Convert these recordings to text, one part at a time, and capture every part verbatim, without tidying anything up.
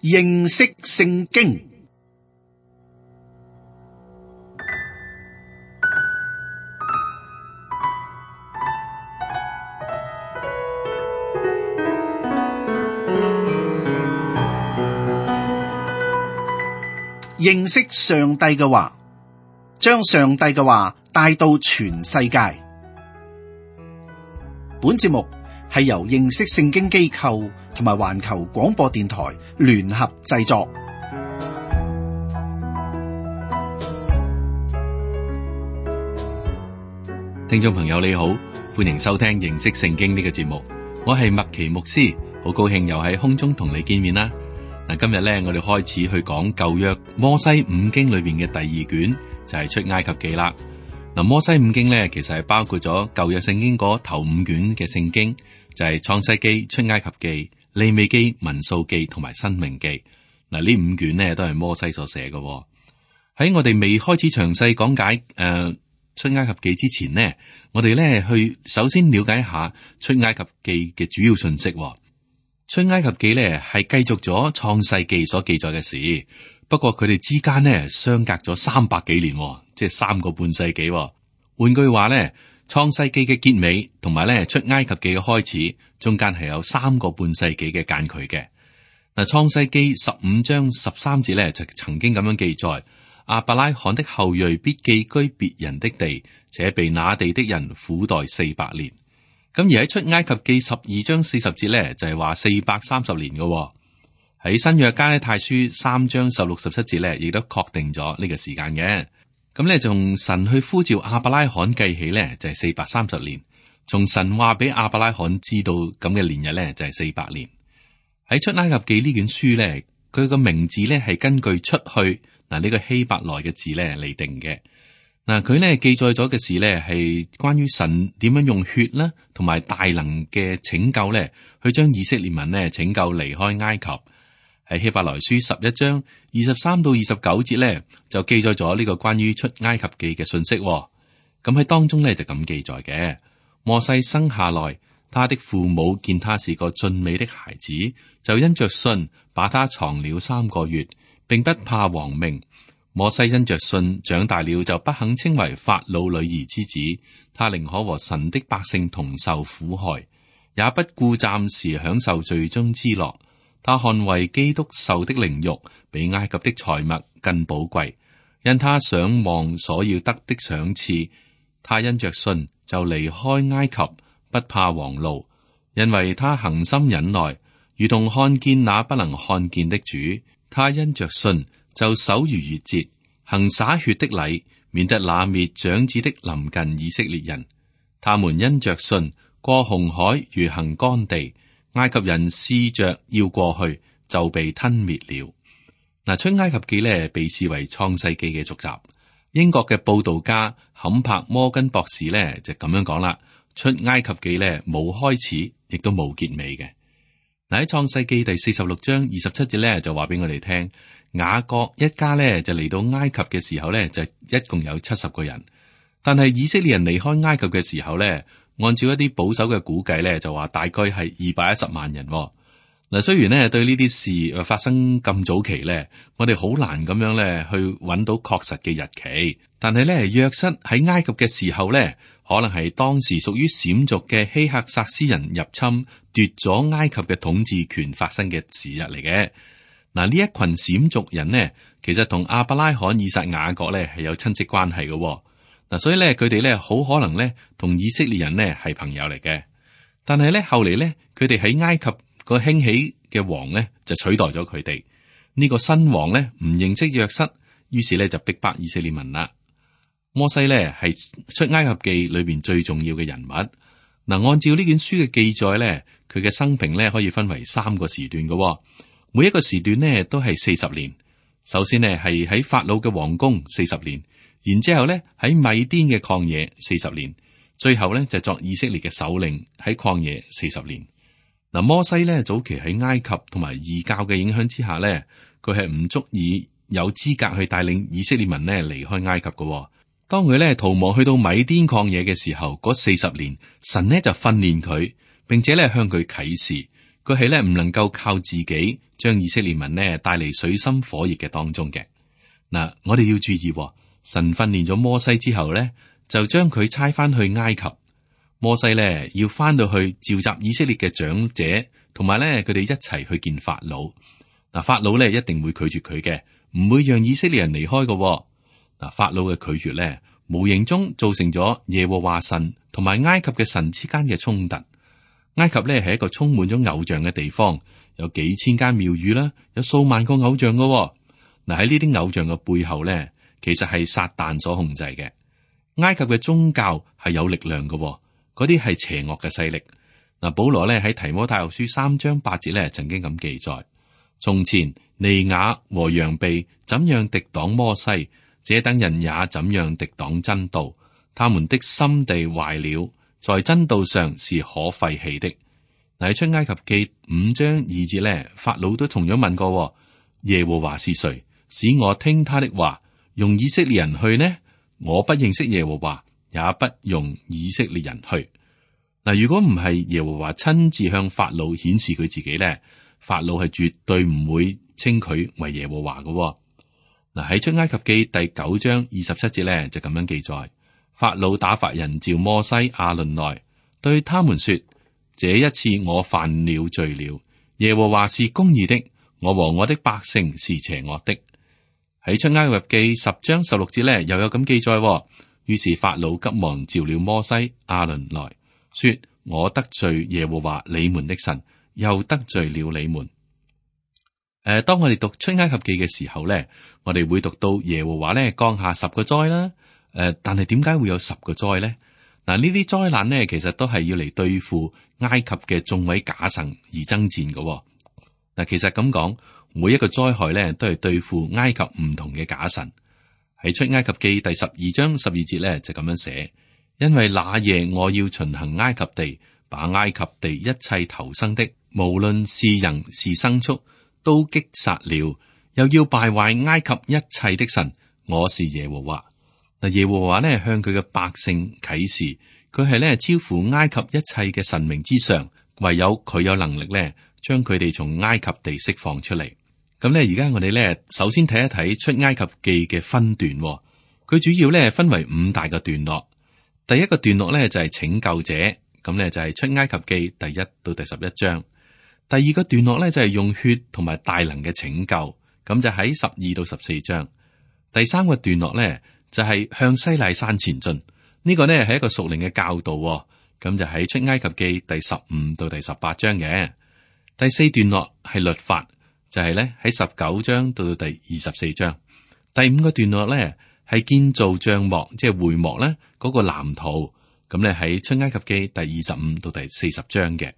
認識聖經。認識上帝嘅話，將上帝嘅話帶到全世界。本節目係由認識聖經機構同埋環球廣播電台聯合製作。聽眾朋友你好，歡迎收聽認識聖經呢個節目。我係麥奇牧師，好高興又喺空中同你見面啦。嗱，今日咧我哋開始去講舊約摩西五經裏邊嘅第二卷，就係出埃及記啦。嗱，摩西五經咧其實係包括咗舊約聖經嗰頭五卷嘅聖經，就係創世記、出埃及記、利未記、民數記同埋申命記。嗱，呢五卷呢都係摩西所寫嘅。喺我哋未開始詳細講解誒、呃、出埃及記之前呢，我哋咧去首先了解一下出埃及記嘅主要信息。出埃及記咧係繼續咗創世記所記載嘅事，不過佢哋之間呢相隔咗三百幾年，即係三個半世紀。換句話咧，創世記嘅結尾同埋咧出埃及記嘅開始中間係有三個半世紀嘅間距嘅。嗱，創世記十五章十三節咧就曾經咁樣記載：亞伯拉罕的後裔必寄居別人的地，且被那地的人苦待四百年。咁而喺出埃及記十二章四十節咧，就係話四百三十年嘅。喺新約加拉太書三章十六十七節咧，亦都確定咗呢個時間嘅。咁咧，從神去呼召亞伯拉罕計起咧，就係四百三十年；從神話俾亞伯拉罕知道咁嘅年日咧，就係四百年。喺出埃及記呢卷書咧，佢個名字咧係根據出去嗱呢個希伯來嘅字咧嚟定嘅。嗱，佢咧記載咗嘅事咧，係關於神點樣用血啦，同埋大能嘅拯救咧，去將以色列民咧拯救離開埃及。喺希伯來書十一章二十三到二十九節咧，就記載咗呢個關於出埃及記嘅信息。咁喺當中咧就咁記載嘅：摩西生下來，他的父母見他是個俊美的孩子，就因着信把他藏了三個月，並不怕王命。摩西因着信長大了，就不肯稱為法老女兒之子，他寧可和神的百姓同受苦害，也不顧暫時享受罪中之樂。他看為基督受的凌辱，比埃及的財物更寶貴，因他想望所要得的賞賜。他因着信就離開埃及，不怕王怒，因為他恒心忍耐，如同看見那不能看見的主。他因着信就守逾越節，行灑血的禮，免得那滅長子的臨近以色列人。他們因着信過紅海，如行乾地。埃及人試着要過去，就被吞滅了。嗱，出埃及記咧被視為創世記嘅續集。英國嘅報道家坎柏摩根博士咧就咁樣講啦：出埃及記咧冇開始，亦都冇結尾嘅。嗱，喺創世記第四十六章二十七節咧就話俾我哋聽。雅各一家咧就嚟到埃及嘅時候咧就一共有七十個人，但係以色列人離開埃及嘅時候咧，按照一啲保守嘅估計咧就話大概係二百一十萬人。嗱，雖然咧對呢啲事發生咁早期咧，我哋好難咁樣咧去揾到確實嘅日期，但係咧約瑟喺埃及嘅時候咧，可能係當時屬於閃族嘅希克薩斯人入侵奪咗埃及嘅統治權發生嘅時日嚟嘅。嗱，呢一群閃族人呢，其實同亞伯拉罕、以撒、雅各咧係有親戚關係嘅。嗱，所以咧佢哋咧好可能咧同以色列人呢係朋友嚟嘅。但係咧後嚟咧，佢哋喺埃及個興起嘅王咧就取代咗佢哋。呢個新王咧唔認識約瑟，於是咧就逼迫以色列民啦。摩西咧係出埃及記裏邊最重要嘅人物。嗱，按照呢卷書嘅記載咧，佢嘅生平咧可以分為三個時段嘅。每一個時段呢都係四十年。首先呢係喺法老嘅皇宮四十年，然之後呢喺米甸嘅曠野四十年，最後呢就作以色列嘅首領喺曠野四十年。嗱，摩西呢早期喺埃及同埋異教嘅影響之下呢，佢係唔足以有資格去帶領以色列民呢離開埃及嘅。當佢呢逃亡去到米甸曠野嘅時候，嗰四十年神呢就訓練佢，並且呢向佢啟示。佢係咧唔能夠靠自己將以色列民呢帶嚟水深火熱嘅當中嘅。嗱，我哋要注意，神訓練咗摩西之後咧，就將佢差翻去埃及。摩西咧要翻到去召集以色列嘅長者，同埋咧佢哋一齊去見法老。嗱，法老咧一定會拒絕佢嘅，唔會讓以色列人離開嘅。嗱，法老嘅拒絕咧，無形中造成咗耶和華神同埋埃及嘅神之間嘅衝突。埃及咧係一個充滿咗偶像嘅地方，有幾千間廟宇啦，有數萬個偶像嘅。嗱，喺呢啲偶像嘅背後咧，其實係撒旦所控制嘅。埃及嘅宗教係有力量嘅，嗰啲係邪惡嘅勢力。嗱，保羅咧喺提摩太後書三章八節咧，曾經咁記載：從前尼雅和楊備怎樣敵擋摩西，這等人也怎樣敵擋真道。他們的心地壞了，在真道上是可廢棄的。嗱，喺出埃及記五章二節咧，法老都同樣問過：耶和華是誰，使我聽他的話，用以色列人去呢？我不認識耶和華，也不用以色列人去。嗱，如果唔係耶和華親自向法老顯示佢自己咧，法老係絕對唔會稱佢為耶和華嘅。嗱，喺出埃及記第九章二十七節咧就咁樣記載：法老打發人召摩西、亞倫來，對他們說：這一次我犯了罪了，耶和華是公義的，我和我的百姓是邪惡的。喺出埃及記十章十六節咧，又有咁記載。於是法老急忙召了摩西、亞倫來說：我得罪耶和華你們的神，又得罪了你們。誒、呃，當我哋讀出埃及記嘅時候咧，我哋會讀到耶和華咧降下十個災啦。誒、呃，但係點解會有十個災咧？嗱，呢啲災難咧，其實都係要嚟對付埃及嘅眾位假神而爭戰嘅。嗱，其實咁講，每一個災害咧都係對付埃及唔同嘅假神。喺出埃及記第十二章十二節咧就咁樣寫：因為那夜我要巡行埃及地，把埃及地一切頭生的，無論是人是牲畜，都擊殺了，又要敗壞埃及一切的神。我是耶和華。嗱，耶和華咧向佢嘅百姓啟示，佢係咧超乎埃及一切嘅神明之上，唯有佢有能力咧將佢哋從埃及地釋放出嚟。咁咧，而家我哋咧首先睇一睇出埃及記嘅分段，佢主要咧分為五大個段落。第一個段落咧就係拯救者，咁咧就係出埃及記第一到第十一章。第二個段落咧就係用血同埋大能嘅拯救，咁就喺十二到十四章。第三個段落咧就係向西奈山前進，呢個咧係一個屬靈嘅教導，咁就喺出埃及記第十五到第十八章嘅。第四段落係律法，就係咧喺十九章到到第二十四章。第五個段落咧係建造帳幕，即係會幕咧嗰個藍圖，咁咧喺出埃及記第二十五到第四十章嘅。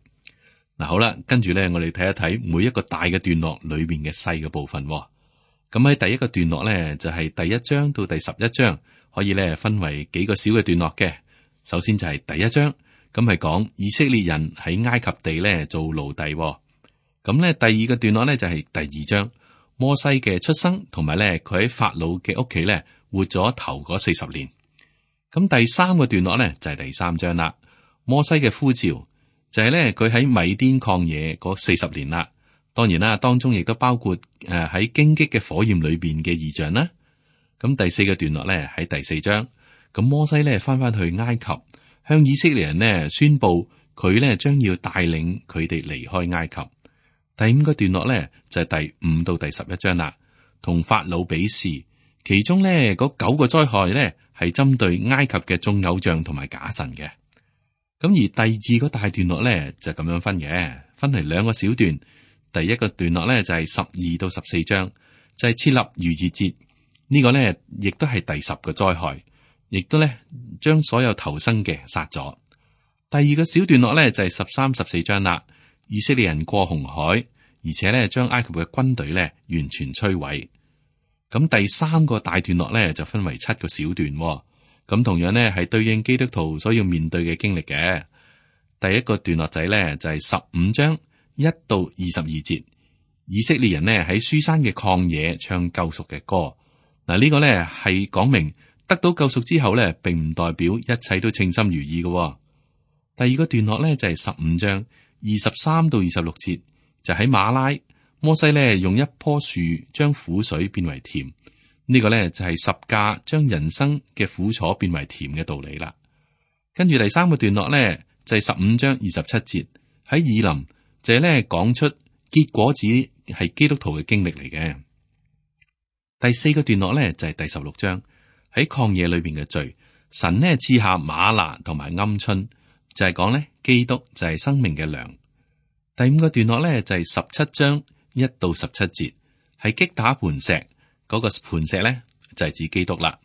嗱，好啦，跟住咧我哋睇一睇每一個大嘅段落裏面嘅細嘅部分。咁喺第一個段落咧就係第一章到第十一章，可以咧分為幾個小嘅段落嘅。首先就係第一章，咁係講以色列人喺埃及地咧做奴隸。咁咧，第二個段落咧就係第二章，摩西嘅出生，同埋咧佢喺法老嘅屋企咧活咗頭嗰四十年。咁第三個段落咧就係第三章啦，摩西嘅呼召，就係咧佢喺米甸曠野嗰四十年啦。當然啦，當中亦都包括誒喺荊棘嘅火焰裏邊嘅異象啦。咁第四個段落咧喺第四章，咁摩西咧翻翻去埃及，向以色列人呢宣布佢咧將要帶領佢哋離開埃及。第五個段落咧就係第五到第十一章啦，同法老比試，其中咧嗰九個災害咧係針對埃及嘅眾偶像同埋假神嘅。咁而第二個大段落咧就咁樣分嘅，分為兩個小段。第一個段落咧就係十二到十四章，就係設立逾越節，呢個咧亦都係第十個災害，亦都咧將所有頭生嘅殺咗。第二個小段落咧就係十三、十四章啦。以色列人過紅海，而且咧將埃及嘅軍隊咧完全摧毀。咁第三個大段落咧就分為七個小段，咁同樣咧係對應基督徒所要面對嘅經歷嘅。第一個段落仔咧就係十五章一到二十二節，以色列人呢喺書山嘅曠野唱救贖嘅歌。嗱，呢個咧係講明得到救贖之後咧，並唔代表一切都稱心如意嘅。第二個段落咧就係十五章。二十三到二十六節就喺馬拉，摩西咧用一棵樹將苦水變為甜，呢、這個咧就係十架將人生嘅苦楚變為甜嘅道理啦。跟住第三個段落咧就係十五章二十七節喺以林，就係咧講出結果子係基督徒嘅經歷嚟嘅。第四個段落咧就係第十六章喺曠野裏邊嘅罪，神呢賜下嗎哪同埋鵪鶉，就係講咧基督就係生命嘅糧。第五個段落咧就係十七章一到十七節，係擊打磐石，嗰、那個磐石咧就係指基督啦。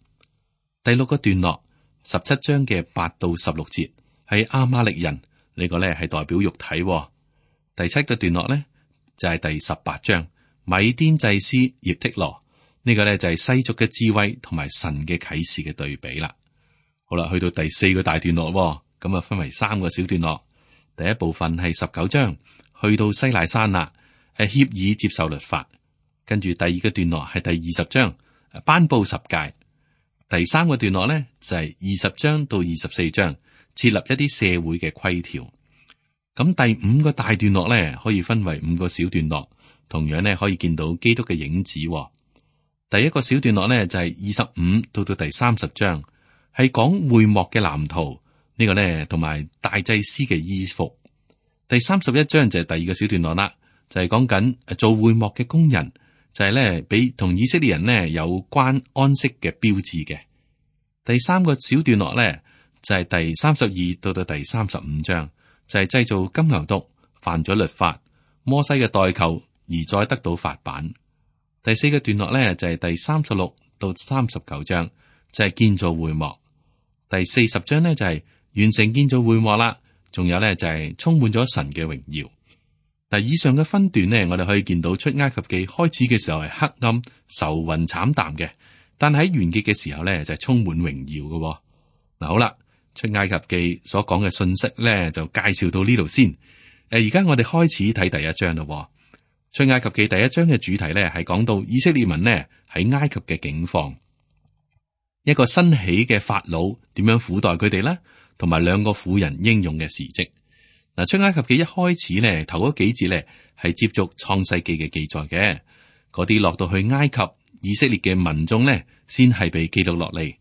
第六個段落十七章嘅八到十六節係亞瑪力人，呢、這個咧係代表肉體、哦。第七個段落咧就係、是、第十八章米甸祭司葉忒羅，呢、這個咧就係世俗嘅智慧同埋神嘅啟示嘅對比啦。好啦，去到第四個大段落、哦，咁啊分為三個小段落。第一部分係十九章。去到西奈山啦，係協議接受律法。跟住第二個段落係第二十章，頒布十誡。第三個段落咧就係二十章到二十四章，設立一啲社會嘅規條。咁第五個大段落咧可以分為五個小段落，同樣咧可以見到基督嘅影子。第一個小段落咧就係二十五到到第三十章，係講會幕嘅藍圖，呢個咧同埋大祭司嘅衣服。第三十一章就係第二個小段落啦，就係講緊做會幕嘅工人，就係咧俾同以色列人呢有關安息嘅標誌嘅。第三個小段落咧就係第三十二到到第三十五章，就係製造金牛犢，犯咗律法，摩西嘅代求而再得到法版。第四個段落咧就係第三十六到三十九章，就係建造會幕。第四十章咧就係完成建造會幕啦。仲有咧就係充滿咗神嘅榮耀。嗱，以上嘅分段呢，我哋可以見到出埃及記開始嘅時候係黑暗、愁雲慘淡嘅，但喺完結嘅時候咧就係充滿榮耀嘅。嗱，好啦，出埃及記所講嘅信息咧就介紹到呢度先。誒，而家我哋開始睇第一章咯。出埃及記第一章嘅主題咧係講到以色列民呢喺埃及嘅境況，一個新起嘅法老點樣苦待佢哋咧？同埋兩個婦人英勇嘅事蹟。嗱，出埃及記一開始咧，頭嗰幾節咧係接續創世記嘅記載嘅。嗰啲落到去埃及以色列嘅民眾咧，先係被記錄落嚟。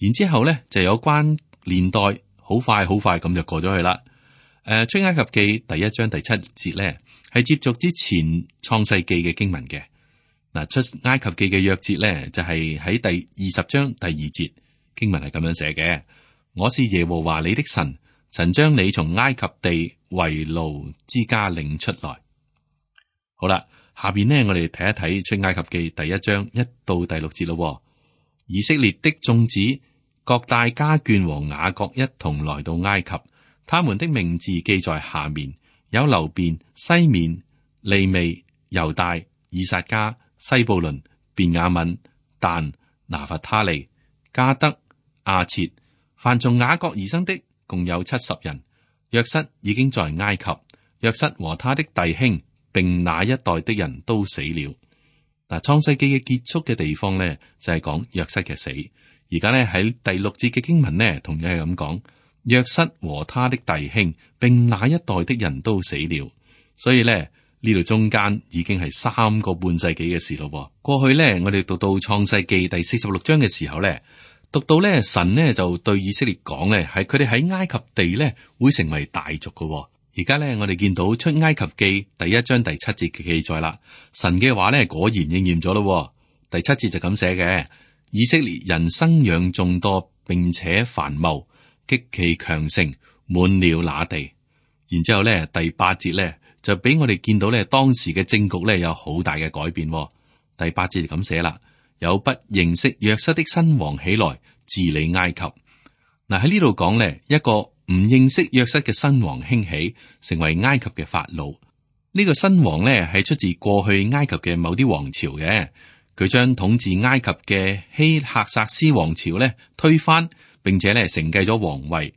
然之後咧就有關年代，好快好快咁就過咗去啦。誒，出埃及記第一章第七節咧係接續之前創世記嘅經文嘅。嗱，出埃及記嘅約節咧就係喺第二十章第二節經文係咁樣寫嘅。我是耶和華你的神，曾將你從埃及地為奴之家領出來。好啦，下邊呢，我哋睇一睇出埃及記第一章一到第六節咯。以色列的眾子各帶家眷和雅各一同來到埃及，他們的名字記在下面：有流便、西面、利未、猶大、以薩迦、西布倫、便雅憫、但、拿弗他利、迦得、亞設。凡從雅各而生的共有七十人。約瑟已經在埃及，約瑟和他的弟兄並那一代的人都死了。嗱，創世記嘅結束嘅地方咧，就係講約瑟嘅死。而家咧喺第六節嘅經文咧，同樣係咁講，約瑟和他的弟兄並那一代的人都死了。所以咧呢度中間已經係三個半世紀嘅事咯。過去咧，我哋讀到創世記第四十六章嘅時候咧。讀到咧，神呢就對以色列講咧，係佢哋喺埃及地咧會成為大族嘅。而家咧，我哋見到出埃及記第一章第七節嘅記載啦，神嘅話咧果然應驗咗咯。第七節就咁寫嘅：以色列人生養眾多，並且繁茂，極其強盛，滿了那地。然之後咧，第八節咧就俾我哋見到咧當時嘅政局咧有好大嘅改變。第八節就咁寫啦。有不認識約瑟的新王起來治理埃及。嗱，喺呢度講咧，一個唔認識約瑟嘅新王興起，成為埃及嘅法老。呢、這個新王咧係出自過去埃及嘅某啲王朝嘅，佢將統治埃及嘅希赫薩斯王朝咧推翻，並且咧承繼咗皇位。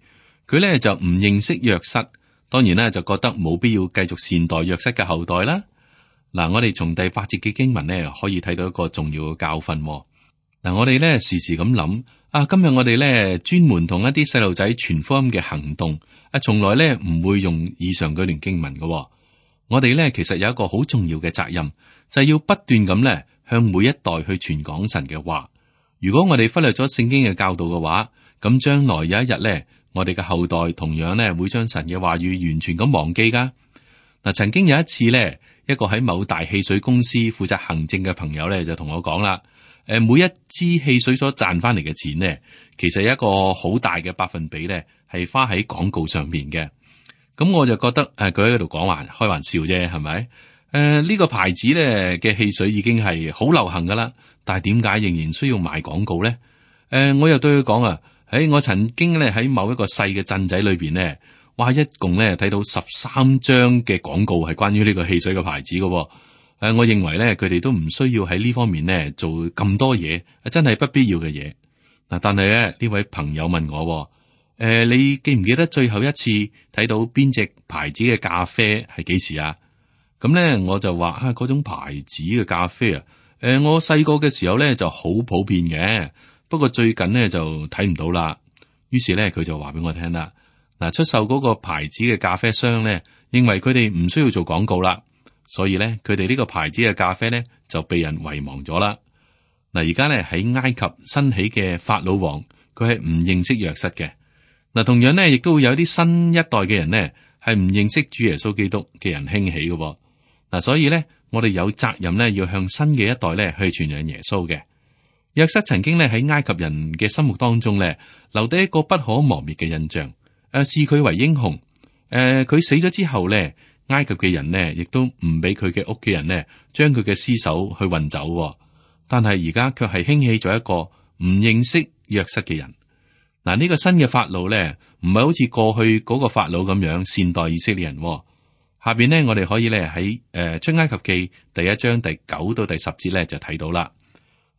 佢咧就唔認識約瑟，當然咧就覺得冇必要繼續善待約瑟嘅後代啦。嗱，我哋從第八節嘅經文咧，可以睇到一個重要嘅教訓。嗱，我哋咧時時咁諗，啊，今日我哋咧專門同一啲細路仔傳福音嘅行動，啊，從來咧唔會用以上嗰段經文嘅，哦。我哋咧其實有一個好重要嘅責任，就係要不斷咁咧向每一代去傳講神嘅話。如果我哋忽略咗聖經嘅教導嘅話，咁將來有一日咧，我哋嘅後代同樣咧會將神嘅話語完全咁忘記噶。嗱，曾經有一次咧，一個喺某大汽水公司負責行政嘅朋友咧就同我講啦。誒，每一支汽水所賺翻嚟嘅錢呢，其實一個好大嘅百分比咧，係花喺廣告上面嘅。咁我就覺得誒，佢喺度講話開玩笑啫，係咪？誒、呃，呢、這個牌子咧嘅汽水已經係好流行噶啦，但係點解仍然需要賣廣告咧？誒、呃，我又對佢講啊，喺我曾經咧喺某一個細嘅鎮仔裏邊咧，哇，一共咧睇到十三張嘅廣告係關於呢個汽水嘅牌子嘅。誒、呃，我認為咧，佢哋都唔需要喺呢方面咧做咁多嘢，真係不必要嘅嘢。嗱，但係咧呢位朋友問我，誒、呃，你記唔記得最後一次睇到邊隻牌子嘅咖啡係幾時啊？咁咧我就話啊，嗰種牌子嘅咖啡啊，誒、呃，我細個嘅時候咧就好普遍嘅，不過最近咧就睇唔到啦。於是咧佢就話俾我聽啦，嗱，出售嗰個牌子嘅咖啡商咧，認為佢哋唔需要做廣告啦。所以咧，佢哋呢個牌子嘅咖啡咧就被人遺忘咗啦。嗱，而家咧喺埃及新起嘅法老王，佢係唔認識約瑟嘅。嗱，同樣咧，亦都會有啲新一代嘅人咧係唔認識主耶穌基督嘅人興起嘅。嗱，所以咧，我哋有責任咧要向新嘅一代咧去傳揚耶穌嘅。約瑟曾經咧喺埃及人嘅心目當中咧留低一個不可磨滅嘅印象，誒，視佢為英雄。誒、呃，佢死咗之後咧。埃及嘅人呢，亦都唔俾佢嘅屋企人呢，將佢嘅屍首去運走，哦。但係而家卻係興起咗一個唔認識約瑟嘅人。嗱，呢個新嘅法老呢，唔係好似過去嗰個法老咁樣善待以色列人，哦。下邊呢，我哋可以咧喺誒出埃及記第一章第九到第十節咧就睇到啦。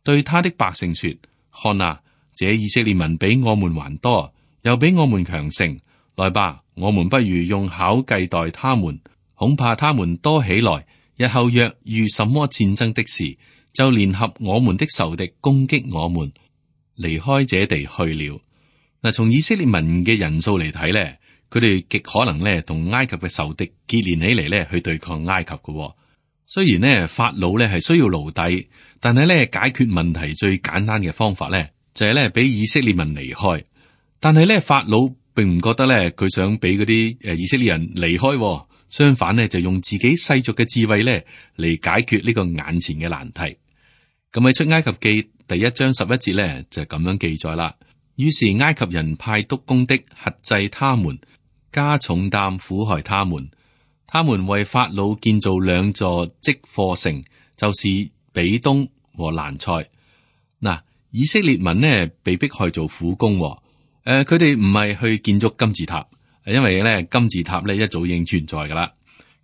對他的百姓說：看啊，這以色列民比我們還多，又比我們強盛。來吧，我們不如用巧計待他們。恐怕他們多起來，日後若遇什麼戰爭的事，就聯合我們的仇敵攻擊我們，離開這地去了。嗱，從以色列民嘅人數嚟睇咧，佢哋極可能咧同埃及嘅仇敵結連起嚟咧去對抗埃及嘅。雖然呢，法老咧係需要奴隸，但係咧解決問題最簡單嘅方法咧就係咧俾以色列民離開。但係咧法老並唔覺得咧佢想俾嗰啲誒以色列人離開。相反呢，就用自己世俗嘅智慧咧嚟解決呢個眼前嘅難題。咁喺出埃及記第一章十一節咧就咁樣記載啦。於是埃及人派督工的轄制他們，加重擔苦害他們。他們為法老建造兩座積貨城，就是比東和蘭塞。嗱，以色列民呢被迫害做苦工。誒、呃，佢哋唔係去建築金字塔。因為咧金字塔咧一早已經存在噶啦，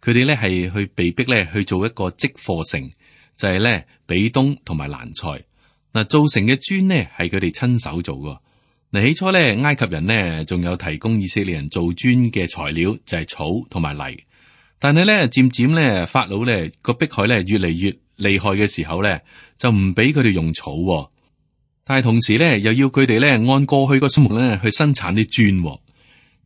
佢哋咧係去被逼咧去做一個積貨城，就係咧比東同埋蘭塞。嗱，造成嘅磚呢係佢哋親手做噶。嗱，起初咧埃及人呢仲有提供以色列人做磚嘅材料，就係草同埋泥。但係咧漸漸咧法老咧個迫害咧越嚟越厲害嘅時候咧，就唔俾佢哋用草，但係同時咧又要佢哋咧按過去個數目咧去生產啲磚。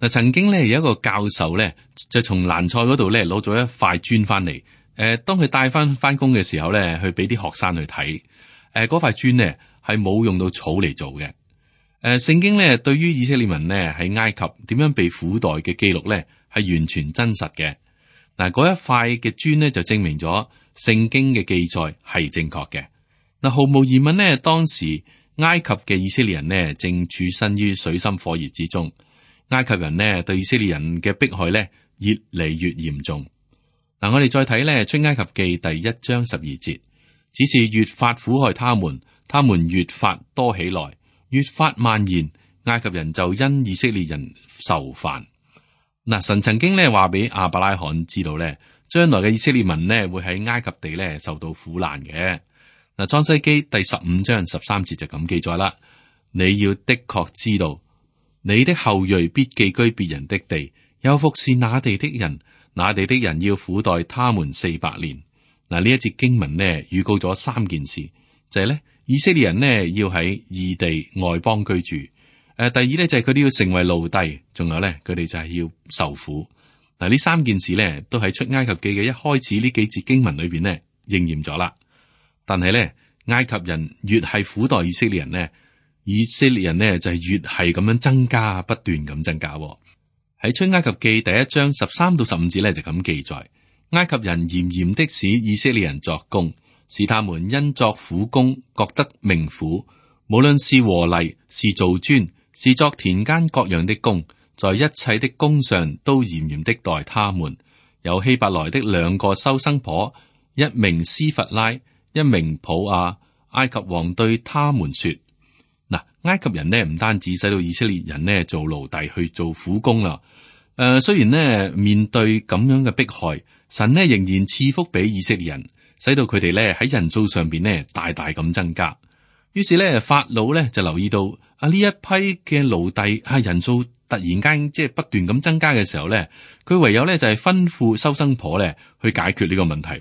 嗱，曾經咧有一個教授咧，就從蘭塞嗰度咧攞咗一塊磚翻嚟。誒，當佢帶翻翻工嘅時候咧，去俾啲學生去睇。誒，嗰塊磚咧係冇用到草嚟做嘅。誒，聖經咧對於以色列民咧喺埃及點樣被苦待嘅記錄咧係完全真實嘅。嗱，嗰一塊嘅磚咧就證明咗聖經嘅記載係正確嘅。嗱，毫無疑問咧，當時埃及嘅以色列人咧正處身於水深火熱之中。埃及人呢對以色列人嘅迫害呢越嚟越嚴重。嗱，我哋再睇呢出埃及記第一章十二節，只是越發苦害他們，他們越發多起來，越發蔓延。埃及人就因以色列人受煩。嗱，神曾經呢話俾亞伯拉罕知道呢，將來嘅以色列民呢會喺埃及地呢受到苦難嘅。嗱，創世記第十五章十三節就咁記載啦，你要的確知道。你的後裔必寄居別人的地，又服侍那地的人，那地的人要苦待他們四百年。嗱，呢一節經文呢預告咗三件事，就係、是、咧以色列人呢要喺異地外邦居住。誒、呃，第二咧就係佢哋要成為奴隸，仲有咧佢哋就係要受苦。嗱，呢三件事咧都喺出埃及記嘅一開始呢幾節經文裏邊呢應驗咗啦。但係咧，埃及人越係苦待以色列人呢，以色列人呢就係越係咁樣增加，不斷咁增加。喺出埃及記第一章十三到十五節咧就咁記載，埃及人嚴嚴的使以色列人作工，使他們因作苦工覺得命苦，無論是和泥，是造磚，是作田間各樣的工，在一切的工上都嚴嚴的待他們。有希伯來的兩個收生婆，一名斯弗拉，一名普亞。埃及王對他們說：嗱，埃及人呢唔單止使到以色列人呢做奴隸去做苦工啦。誒、呃，雖然呢面對咁樣嘅迫害，神呢仍然賜福俾以色列人，使到佢哋呢喺人數上邊呢大大咁增加。於是呢，法老呢就留意到啊呢一批嘅奴隸啊人數突然間即係不斷咁增加嘅時候呢，佢唯有呢就係吩咐收生婆呢去解決呢個問題。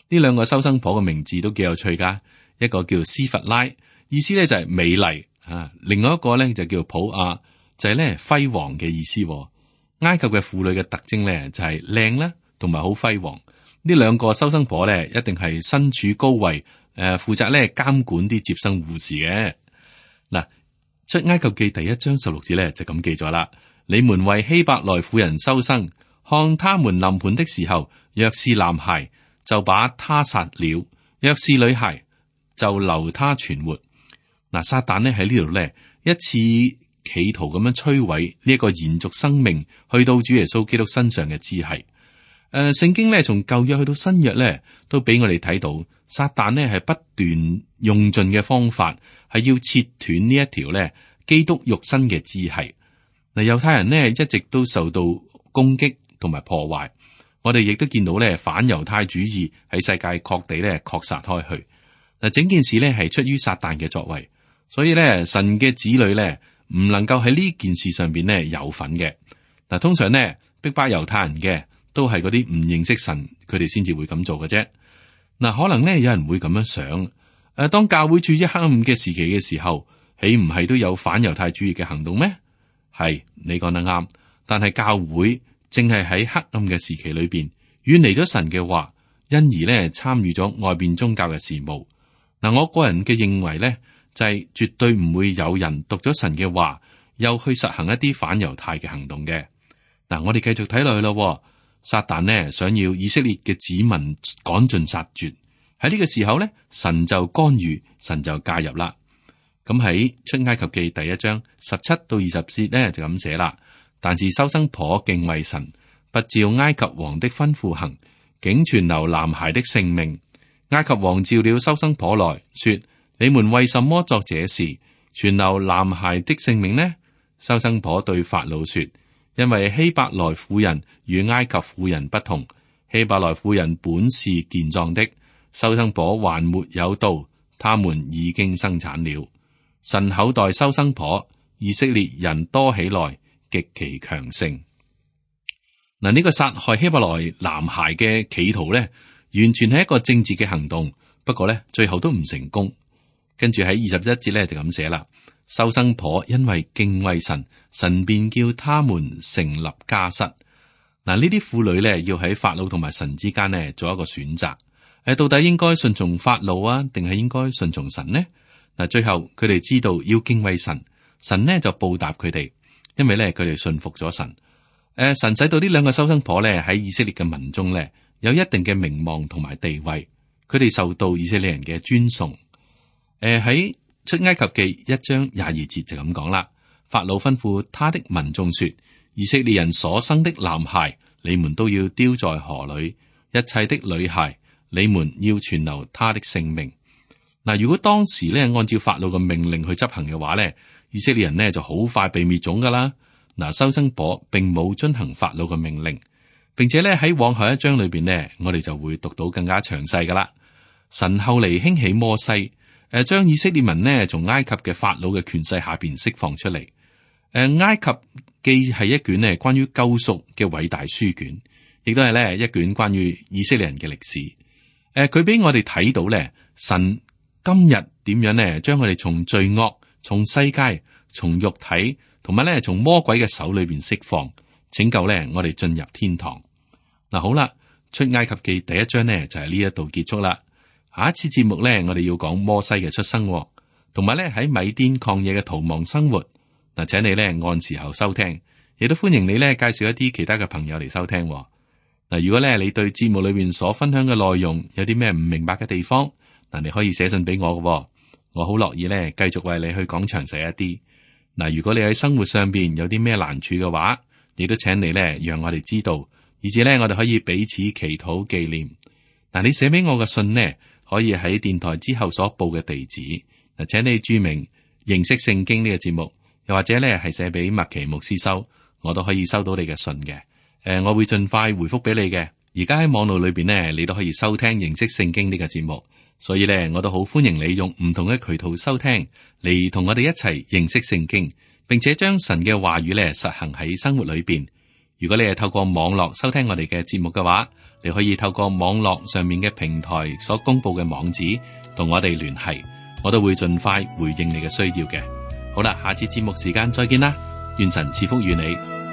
呢兩個收生婆嘅名字都幾有趣噶。一個叫斯弗拉，意思咧就係美麗啊；另外一個咧就叫普亞，就係咧輝煌嘅意思。埃及嘅婦女嘅特徵咧就係靚啦，同埋好輝煌。呢兩個收生婆咧一定係身處高位，誒，負責咧監管啲接生護士嘅。嗱，出埃及記第一章十六節咧就咁記咗啦：你們為希伯來婦人收生，看他們臨盆的時候，若是男孩，就把他殺了；若是女孩，就留他存活。嗱，撒旦呢喺呢度咧一次企圖咁樣摧毀呢一個延續生命去到主耶穌基督身上嘅支系。誒、呃，聖經咧從舊約去到新約咧，都俾我哋睇到撒旦呢係不斷用盡嘅方法，係要切斷呢一條咧基督肉身嘅支系。嗱，猶太人呢一直都受到攻擊同埋破壞，我哋亦都見到咧反猶太主義喺世界各地咧擴散開去。嗱，整件事咧係出於撒旦嘅作為，所以咧神嘅子女咧唔能夠喺呢件事上邊咧有份嘅。嗱，通常咧逼迫猶太人嘅都係嗰啲唔認識神，佢哋先至會咁做嘅啫。嗱，可能咧有人會咁樣想，誒，當教會處於黑暗嘅時期嘅時候，豈唔係都有反猶太主義嘅行動咩？係，你講得啱，但係教會正係喺黑暗嘅時期裏邊遠離咗神嘅話，因而咧參與咗外邊宗教嘅事務。嗱，我個人嘅認為咧，就係絕對唔會有人讀咗神嘅話，又去實行一啲反猶太嘅行動嘅。嗱，我哋繼續睇落去咯。撒旦呢想要以色列嘅子民趕盡殺絕，喺呢個時候咧，神就干預，神就介入啦。咁喺出埃及記第一章十七到二十節咧就咁寫啦。但是收生婆敬畏神，不照埃及王的吩咐行，竟存留男孩的性命。埃及王召了收生婆來說：你們為什麼作這事，存留男孩的性命呢？收生婆對法老說：因為希伯來婦人與埃及婦人不同，希伯來婦人本是健壯的，收生婆還沒有到，他們已經生產了。神厚待收生婆，以色列人多起來，極其強盛。嗱，呢個殺害希伯來男孩嘅企圖咧，完全係一個政治嘅行動，不過咧最後都唔成功。跟住喺二十一節咧就咁寫啦：收生婆因為敬畏神，神便叫他們成立家室。嗱，呢啲婦女咧要喺法老同埋神之間呢做一個選擇，誒，到底應該順從法老啊，定係應該順從神呢？嗱，最後佢哋知道要敬畏神，神呢就報答佢哋，因為咧佢哋信服咗神。誒，神使到呢兩個收生婆咧喺以色列嘅民中咧有一定嘅名望同埋地位，佢哋受到以色列人嘅尊崇。誒，喺出埃及記一章廿二節就咁講啦。法老吩咐他的民眾說：以色列人所生的男孩，你們都要丟在河裏；一切的女孩，你們要存留他的性命。嗱，如果當時咧按照法老嘅命令去執行嘅話咧，以色列人呢就好快被滅種噶啦。嗱，收生婆並冇遵行法老嘅命令，並且咧喺往後一章裏邊呢，我哋就會讀到更加詳細噶啦。神後嚟興起摩西，誒，將以色列民呢從埃及嘅法老嘅權勢下邊釋放出嚟。誒，埃及既係一卷咧關於救贖嘅偉大書卷，亦都係咧一卷關於以色列人嘅歷史。誒，佢俾我哋睇到咧，神今日點樣呢？將我哋從罪惡、從世界、從肉體同埋咧從魔鬼嘅手裏邊釋放，拯救咧我哋進入天堂。嗱，好啦，出埃及記第一章呢就係呢一度結束啦。下一次節目咧，我哋要講摩西嘅出生，同埋咧喺米甸曠野嘅逃亡生活。嗱，請你咧按時候收聽，亦都歡迎你咧介紹一啲其他嘅朋友嚟收聽。嗱，如果咧你對節目裏邊所分享嘅內容有啲咩唔明白嘅地方，嗱，你可以寫信俾我嘅，我好樂意咧繼續為你去講詳細一啲。嗱，如果你喺生活上邊有啲咩難處嘅話，亦都請你咧讓我哋知道，以至咧我哋可以彼此祈禱紀念。嗱，你寫俾我嘅信呢，可以喺電台之後所報嘅地址。嗱，請你注明認識聖經呢個節目，又或者咧係寫俾麥奇牧師收，我都可以收到你嘅信嘅。誒，我會盡快回覆俾你嘅。而家喺網絡裏邊呢，你都可以收聽認識聖經呢個節目，所以咧我都好歡迎你用唔同嘅渠道收聽，嚟同我哋一齊認識聖經，並且將神嘅話語咧實行喺生活裏邊。如果你係透過網絡收聽我哋嘅節目嘅話，你可以透過網絡上面嘅平台所公布嘅網址同我哋聯繫，我都會盡快回應你嘅需要嘅。好啦，下次節目時間再見啦，願神賜福與你。